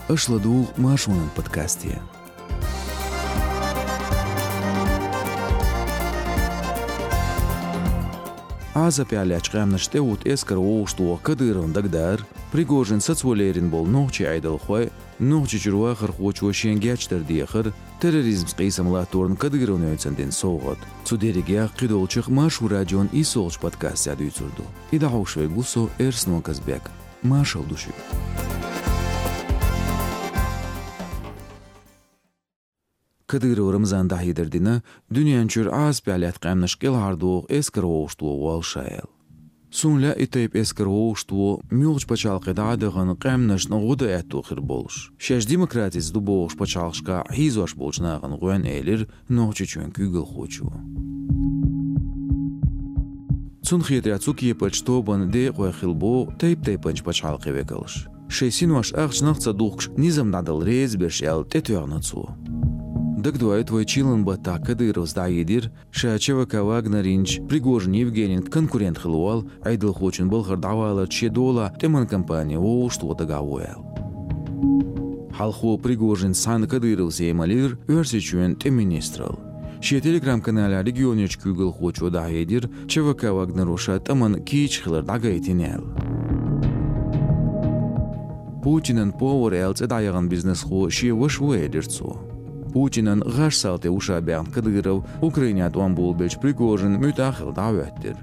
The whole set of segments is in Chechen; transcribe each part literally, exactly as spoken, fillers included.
Аша ладугӀу Маршонан подкасте. Ӏазапехь лаьттачу къаьмнашна тӀеуьтту эскар вовшахтоха Кадыровна дагадеара, Пригожин сацо лерина болу нохчийн Ӏедалхой, Нохчийчуьра вахархочо шен гечдар дехар, терроризмца къийсам латторна Кадыровн йоьцна дина совгӀат. Цу дерригех кхидолчух Маршо радион иссолгӀачу подкастехь дуьйцур ду. И дӀахьош верг ву со, Эрсно Казбек. Маршалла ду шуьга. Кадыров Рамзана дӀахьедар дина, дуьнен чуьра Ӏазапехь лаьтта къаьмнаш кӀелхьардоху эскар вовшахтоха воллу ша аьлла. Суна лаьа и тайпа эскар вовшахтоха, муьлххачу пачхьалкхе дӀа а дахана, къаьмнашна гӀо дан аьтто хир болуш, шаьш демократица ду бохуш пачхьалкхашкахь хьийзош болчу нахана гӀоьнна, элира Нохчийчоьнан куьйгалхочо. Цунна хетарехь, цу кепарчу тобанан декъой хилла боху тайп-тайпанчу пачхьалкхийн векалш, шайн синош ахчанах а ца духкуш, низам дӀадала реза берш аьлла, тӀетоьхна цо. Дагадоуьйту, вай чиллан баттахь Кадыровс дӀахьедира, ша ЧВК «Вагнер» йинчу Пригожин Евгенин конкурент хилла волу Ӏедалхочун балхара дӀаваларца шен долахь тӀеман кампани вовшахтоха дагахь ву аьлла. Хьалхо Пригожинца цхьаьна Кадыровс емал йира Оьрсийчоьнан тӀеман министралла. Шен Telegram-каналехь регионерчу куьйгалхочо дӀахьедира, ЧВК «Вагнеро» ша тӀамна кийча хилар дӀагайтина аьлла. Путинан повар аьлла цӀе дӀаяхана бизнесхо шен ваша ву, элира цо. Путинан гӀаш-салтий ву ша баьхна Кадыров, Украинехь тӀом болабеллачу Пригожин муьтӀахь а хилла дӀахӀоьттира.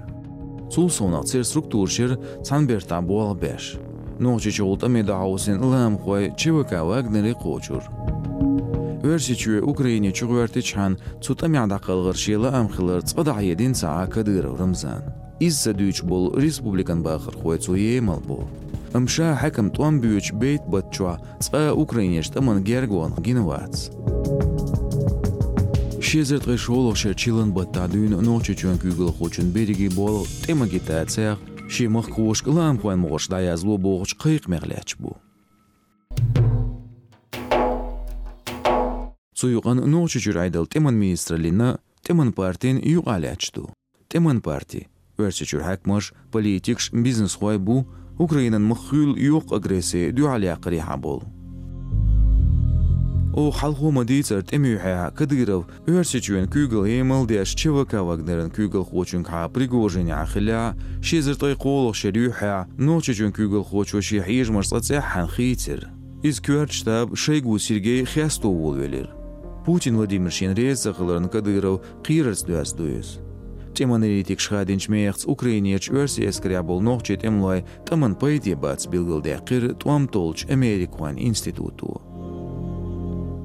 Цул совнаха церан структураш яра цхьана бертахь болх беш. Нохчийчохь тӀаме дӀахьовсийна лаамхой ЧВК «Вагнере» кхочура. Оьрсийчоь Украине чугӀоьртичхьана, цу тӀамехь дӀакхалхар шен лаам хилар цкъа дӀахьедина ца Ӏа Кадыров Рамзана. Иза ца дуьйцуш болу республикан бахархой цо емал бо. Амма ша хьаькам тӀом боьдучу бейтта баттахь цкъа а Украинерчу тӀамна гергонах гина вац. Ши эзар ткъе шолгӀачу шеран чиллан баттахь дуьйна Нохчийчоьнан куьйгалхочун берриге болх тӀеман агитацех, шен махкахошка лаамхойн могӀарш дӀаязло бохучу кхайкхамех лаьтташ бу. Цу юкъанна Нохчийчуьра Ӏедалан тӀеман министраллина, тӀеман партина юкъахь лаьтташ ду. ТӀеман парти, Оьрсийчуьра хьаькамаш, политикаш, бизнесхой бу Украинан мах хуьллу йоккха агресси дуьхьал яккхарехьа болу. Оха хьалхо ма-дийцара, тӀеман юьхьехь Кадыров Оьрсийчоьнан куьйгалла емал деш ЧВК «Вагнеран» куьйгалхочуьнгахьа Пригожинехьа хиллехь, ши эзар ткъе кхоалгӀачу шеран юьхьехь Нохчийчоьнан куьйгалхочо шен хьежамаш цкъа цӀеххьана хийцира. Иза коьртачу штабан Шойгу Сергей хесто волавелира. Путин Владимир шена реза ца хиларна Кадыров кхерарца доьзна ду иза. ТӀеман аналитикаша хадийначу мехаца, Украинерчу оьрсийн эскарехь болу нохчийн тӀемалойн тӀамна пайде бац билгалдаьккхира тӀом толлучу Америкин институто.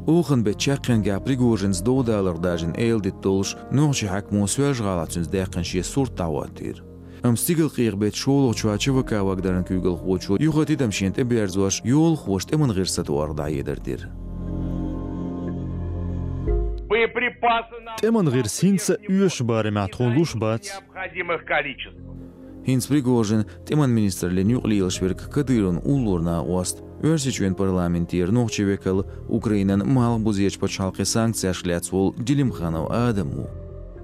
Оханан беттан чаккхенгахь Пригожинца дов даларх даржийна эладита долуш, нохчийн хьаькамо Соьлжа-ГӀалахь цуьнца даьккхина шен сурт дӀахӀоттийра. Амма стигалкъехан беттан шолгӀачохь ЧВК «Вагнеран» куьйгалхочо юха тидам шена тӀеберзош, йолахоша тӀеман гӀирс сатохарх дӀахьедар дира. Боеприпасы на... ТӀеман гӀирс хӀинца а оьшучу барамехь тхуна луш бац. Необходимых количеств. ХӀинца Пригожин тӀеман министраллина юкъа лелаш верг Кадыровн уллора накъост, Оьрсийчоьнан парламентера нохчийн векал, Украинан малхбузерчу пачхьалкхийн санкцешка лаьцна волу Делимханов Адам ву.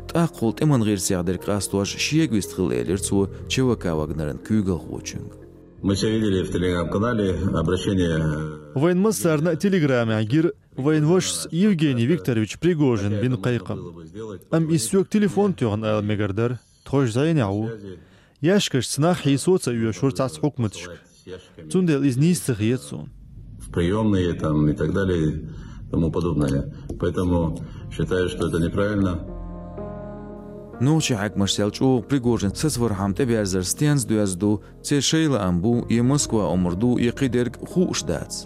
ТӀаккха тӀеман гӀирсех дерг къастош шега вистхилла, элира цо ЧВК «Вагнеран» куьйгалхочуьнга. Мы все видели в Telegram-канале обращение. Вайн массарна а Телеграмехь гира вайн вашас Евгений Викторович Пригожина бина кхайкхам. Амма иза соьга телефон тоьхна ала мегар дара, тхо уьш зӀенехь ву. Ящикашца нах хьийсо а ца оьшура цхьацца хьукматашка. Цундела иза нийса ца хета суна. В приёмные там и так далее и тому подобное. Поэтому считаю, что это неправильно. Нохчийн хьаькамаш сел чӀогӀа Пригожин сацавархьама тӀеберзар стенца доьзна ду, церан шайн лаам бу, я Москва омра ду, я кхидерг, хууш дац.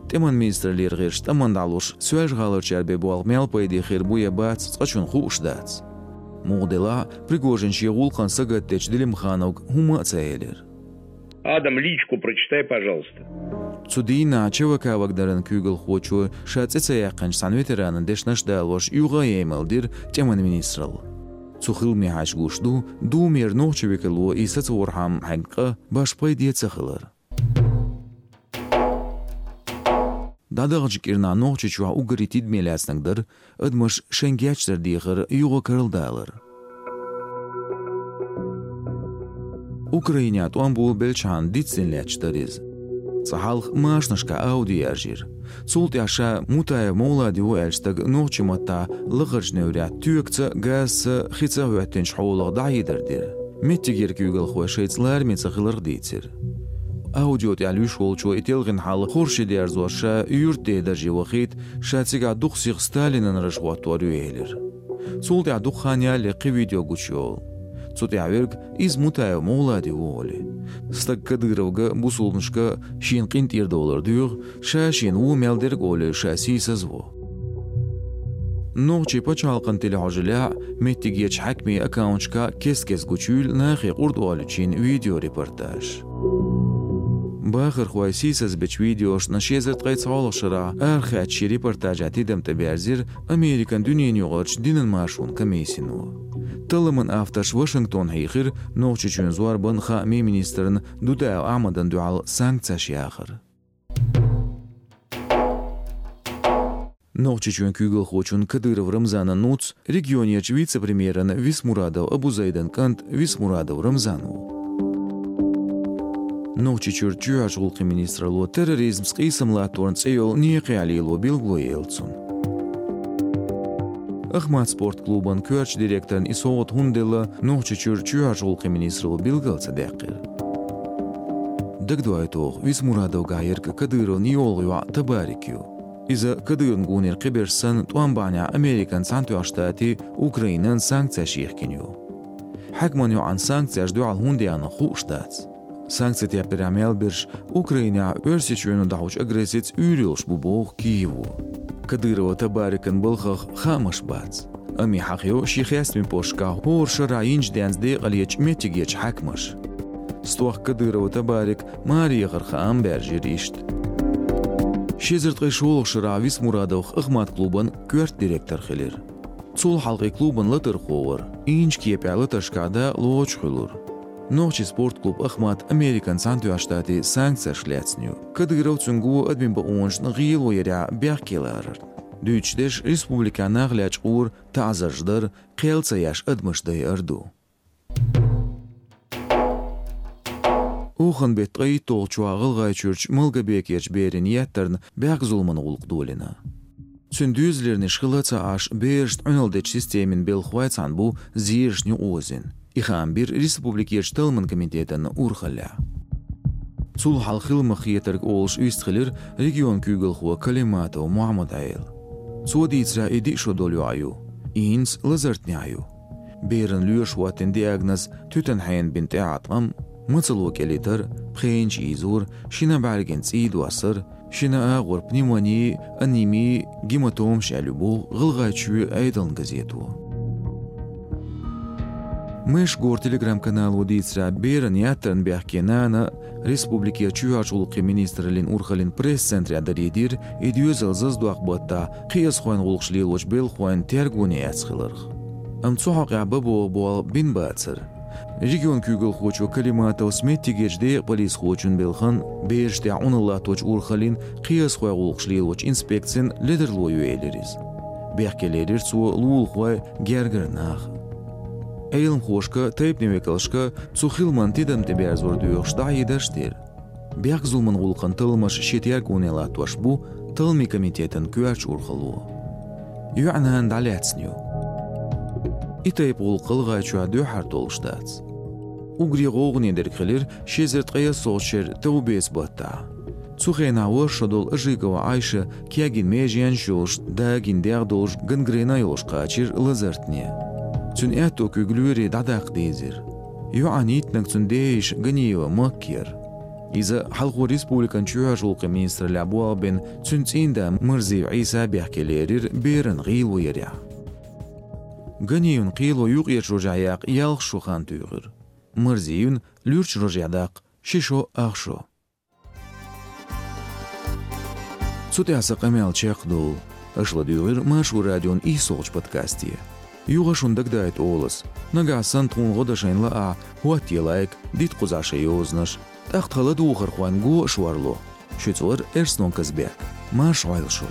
ТӀеман министраллера гӀирсаша тӀамна дӀалуш, Соьлжа-ГӀаларчара бен болх мел пайде хир бу я бац, цкъачунна хууш дац. Муха делахь а, Пригожина шен гӀуллакхана сагатдечу Делимхановга хӀумма а ца элира. Адам, личку прочитай, пожалуйста. Цу дийнахь ЧВК «Вагнеран» куьйгалхочо ша цӀе ца яьккхинчу цхьана ветеранна дешнаш а далош, юха а емал дира тӀеман министралла. Цу хиламехь гуш ду, Думера нохчийн векало и сацавархьама хьегна къа башха пайде ца хилар. ДӀадаханчу кӀирнахь Нохчийчохь уггаре тидаме лаьцнарг дара адамаш шайн гечдар дехар юха карладалар. Украинехь тӀом болабелчхьана дицдина лаьтташ дара иза. Цкъа хьалха машинашкахь аудио яржийра. Цул тӀаьхьа ша Мутаев Мовлади ву аьлла стаг нохчийн маттахь лахарчу неврехь тоькаца, газца, хица хӀоьттинчу хьолах дӀахьедар дира. Меттигера куьйгалхой шайца лараме ца хиларх дийцира. Аудио тӀехь луьйш волчо и телхина хьал хорша дерзош ша юьртан ден дарже вахийта, ша цигахь дукха сиха Сталинан раж хӀоттор ю элира. Цул тӀаьхьа дукха хан ялале кхин видео гучуйолу. Цу тӀехь верг иза Мутаев Мовлади ву олий. Стаг Кадыровга, бусулбанашка шена къинтӀера довлар доьху, ша шена вон мел дерг олий ша сийсаз а ву. Нохчийн пачхьалкхан телехьожаллехь а, меттигерчу хьаькамийн аккаунташкахь а кест-кеста гучуйийла нахе къурд олучийн видеорепортаж. Бахархой сийсаз бечу видеошна ши эзар ткъе цхьалгӀачу шарахь арахаьчча шен репортажехь тидам тӀеберзира Американ дуьненаюкъарчу динан маршонан комиссино. Талламан авторш Вашингтон хьийхира Нохчийчоьнан зорбанан, хаамийн министрна Дудаев Ахьмадана дуьхьал санкцеш яхар. Нохчийчоьнан куьйгалхочун Кадыров Рамзанан нуц, регионерчу вице-премьеран Висмурадов Абузайдан кӀант Висмурадов Рамзан ву. Нохчийчуьра чоьхьарчу гӀуллакхийн министралло терроризмца къийсам латторна цӀе йолу некъехь лело билгало елла цунна. «Ахмат» спорт клубан коьртачу директорна и совгӀат хӀунда делла, Нохчийчуьра чоьхьарчу гӀуллакхийн министралло билгал ца даьккхира. Дагадоуьйту оха, Висмурадовгахь ерг Кадыровн йолгӀа йоӀ Табарик ю. Иза Кадыровн гонера кхиберш санна, тӀом бахьанехь Американ Цхьаьнатоьхначу Штатийн, Украинан санкцеш йихкина ю. Хьаькаман йоӀан санкцеш дуьхьал хӀунда яьхна хууш дац. Санкци теппарехь мел берш Украинехь Оьрсийчоьно дӀахьочу агрессица уьйр йолуш бу боху Киево. Кадырова Табарикан балхах хаамаш бац. Амма и хьахайо шен хестамийн посташкахь хӀора шарахь йинчу денца декъалечу меттигерчу хьаькамаша. СтохкӀа Кадырова Табарик маре яхаран хаам баьржира иштта. Ши эзар ткъе шолгӀачу шарахь Висмурадовх «Ахмат» клубан коьрта директор хилира. Цул хьалха и клубан латархо вара, йинчу кепехь латаршкахь дакъа лоцуш хуьлура. Нохчийн спорт клуб «Ахмат» Американ Цхьаьнатоьхначу Штатийн санкцеш лаьцна ю, Кадыров, цуьнан го адамийн бакъонашна гӀело ярехь бехке ларарна. Дуьйцуш дерш, республикехь нах лечкъор, таӀзарш дар, кхел ца еш адамаш дайар ду. Оханан беттан ткъе итталгӀачохь ГӀалгӀайчуьрчу Малгобекерчу берана еттарна бехк-зуламан гӀуллакх долийна. Цуьнан доьзалернаш хилла ца Ӏаш, берашна Ӏуьналла дечу системин белхахой цхьаьна бу зерашна юкъаозийна. И хаам бира республикерчу талламан комитетана урхаллехь. Цул хьалха хила ма-хетарг олуш вистхилира регионан куьйгалхо Калиматов Мухьаммад-Ӏела. Цо дийцарехь, и диъ шо долу йоӀ ю. И хӀинца лазартнехь ю. Берана лоьраша хӀоттийна диагноз: туьтанан хьенан бина тӀеӀаткъам, мацалла кӀелийтар, пхенаш ийзор, шина бӀаьргина цӀий доссар, шина агӀор пневмони, анеми, гематомаш аьлла ю боху ГӀалгӀайчоьнан Ӏедалан газето. Майшгоран телеграм-канало дийцарехь, берана еттарна бехке нана республикерчу чоьхьарчу гӀуллакхийн министраллин урхаллин пресс-центрехь дарийдира и доьзал зазадоккху баттахь кхиазхойн гӀуллакхаш лелочу белхахойн тергоне эцна хиларх. Амма цу хьокъехь бан богӀу болх бина бацара. Регионан куьйгалхочо Калиматовс меттигерчу декъан полисхочун белхан, бераш тӀехь Ӏуналла латточу урхаллин, кхиазхойн гӀуллакхаш лелочу инспекцин ледарло ю элира иза. Бехке лерира цо лулахой, гергара нах. Ӏеламхошка, тайпанийн векалшка цу хиламан тидам тӀеберзор доьхуш дӀахьедарш дира. Бехк-зуламан гӀуллакхан талламаш шен тергоне латтош бу талламийн комитетан коьртачу урхалло. ЙоьӀан нана дӀалаьцна ю. И тайпа гӀуллакх ГӀалгӀайчохь дуьххьара долуш дац. Уггаре гӀовгӀане дерг хилира ши эзар ткъе ялхолгӀачу шеран товбеца баттахь. Цу хенахь ворхӀ шо долу Ажигова Ӏайша кегийна меженаш йолуш, дагийна дегӀ долуш, гангрена йолуш кхачира лазартне. Цуьнан аьтто куьг лоьрийн дӀадаккха дийзира. ЙоӀан йиттинарг цуьнан ден йиша Ганиева Макка яра. Иза хьалхо республикан чоьхьарчу гӀуллакхийн министраллехь болх бина, цуьнан цӀийнда Марзиев Ӏийса бехке лерира берана гӀело ярехь. Ганиевна кхело юккъерчу рожехь яккха ялх шо хан туьйхира. Марзиевна луьрачу рожехь даккха ши шо, ах шо. Цу тӀехь сан къамел чекхдолу. Аша ладуьйгӀира Маршо радион ийсолгӀачу подкасте. Юха шуна дагадайта олу ас: нагахь санна тхуна гӀо дан шайна лаахь, хӀоттае лайк, дита кхузахь шайн йозанаш. ТӀаккха тхан ладугӀухархойн го а шорло. Шуьца вара Эрснон Казбек. Марша Ӏойла шу!